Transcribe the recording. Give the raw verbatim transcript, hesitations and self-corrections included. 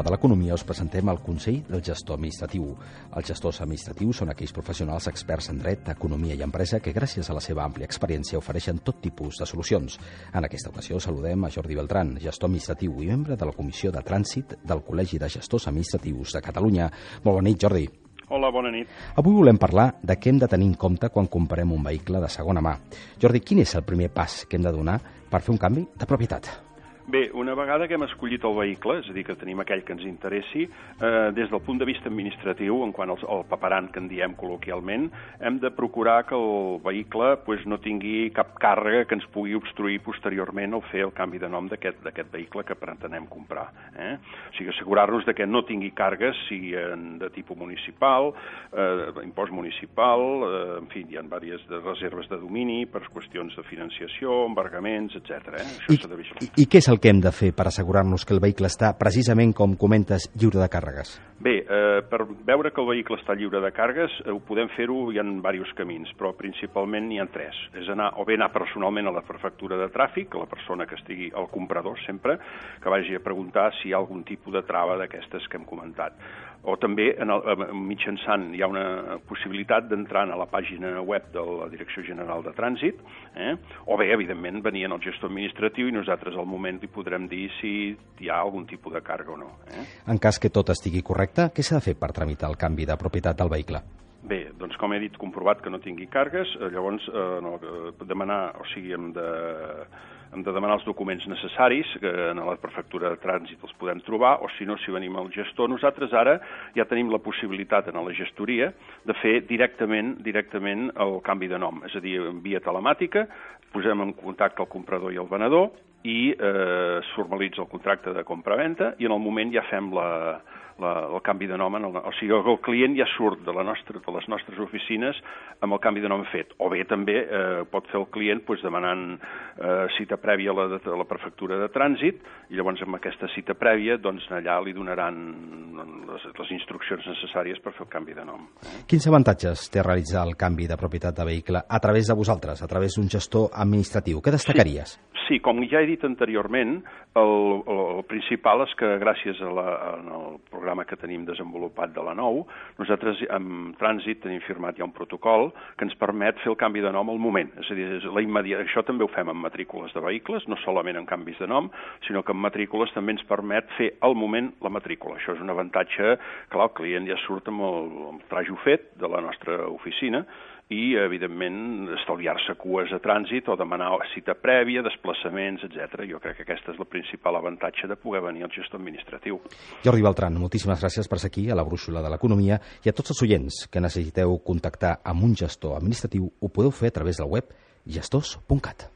de l'Economia us presentem el Consell del Gestor Administratiu. Els gestors administratius són aquells professionals experts en dret, economia i empresa que gràcies a la seva àmplia experiència ofereixen tot tipus de solucions. En aquesta ocasió saludem a Jordi Beltran, gestor administratiu i membre de la Comissió de Trànsit del Col·legi de Gestors Administratius de Catalunya. Molt bona nit, Jordi. Hola, bona nit. Avui volem parlar de què hem de tenir en compte quan comprem un vehicle de segona mà. Jordi, quin és el primer pas que hem de donar per fer un canvi de propietat? Bé, una vegada que hem escollit el vehicle, és a dir, que tenim aquell que ens interessi, eh, des del punt de vista administratiu, en quant al, al paperant que en diem col·loquialment, hem de procurar que el vehicle pues, no tingui cap càrrega que ens pugui obstruir posteriorment el fer el canvi de nom d'aquest vehicle que pretenem comprar. Eh? O sigui, assegurar-nos de que no tingui càrregues, sigui de tipus municipal, eh, impost municipal, eh, en fi, hi ha diverses de reserves de domini per qüestions de financiació, embargaments, etcètera. Eh? I, i, I què és el que hem de fer per assegurar-nos que el vehicle està, precisament com comentes, lliure de càrregues? Bé, eh, per veure que el vehicle està lliure de càrregues, eh, ho podem fer-ho, hi ha diversos camins, però principalment n'hi ha tres. És anar, o bé anar personalment a la prefectura de tràfic, a la persona que estigui, el comprador sempre, que vagi a preguntar si hi ha algun tipus de trava d'aquestes que hem comentat. O també, en el, mitjançant, hi ha una possibilitat d'entrar a la pàgina web de la Direcció General de Trànsit, eh? o bé, evidentment, venir al gestor administratiu i nosaltres al moment li podrem dir si hi ha algun tipus de càrrega o no. Eh? En cas que tot estigui correcte, què s'ha de fer per tramitar el canvi de propietat del vehicle? Bé, doncs com he dit, comprovat que no tingui càrregues, llavors eh, no, demanar, o sigui, hem de... hem de demanar els documents necessaris, que en la prefectura de trànsit els podem trobar, o si no, si venim al gestor. Nosaltres ara ja tenim la possibilitat en la gestoria de fer directament directament el canvi de nom, és a dir, en via telemàtica, posem en contacte el comprador i el venedor i eh, es formalitza el contracte de compra-venda i en el moment ja fem la... La, el canvi de nom, en el, o sigui, el client ja surt de, la nostra, de les nostres oficines amb el canvi de nom fet. O bé també eh, pot fer el client pues, demanant eh, cita prèvia a la, a la prefectura de trànsit i llavors amb aquesta cita prèvia doncs, allà li donaran les, les instruccions necessàries per fer el canvi de nom. Eh? Quins avantatges té realitzar el canvi de propietat de vehicle a través de vosaltres, a través d'un gestor administratiu? Què destacaries? Sí. Sí, com ja he dit anteriorment, el, el, el principal és que gràcies a la, al programa que tenim desenvolupat de la nou, nosaltres amb Trànsit tenim firmat ja un protocol que ens permet fer el canvi de nom al moment. És a dir, la immediata, això també ho fem amb matrícules de vehicles, no solament en canvis de nom, sinó que amb matrícules també ens permet fer al moment la matrícula. Això és un avantatge, clar, el client ja surt amb el, el trajo fet de la nostra oficina i, evidentment, estalviar-se cues a trànsit o demanar cita prèvia, desplaçaments, etcètera. Jo crec que aquesta és la principal avantatge de poder venir al gestor administratiu. Jordi Beltran, moltíssimes gràcies per ser aquí a la Brúixola de l'Economia i a tots els oients que necessiteu contactar amb un gestor administratiu ho podeu fer a través del web gestors punt cat.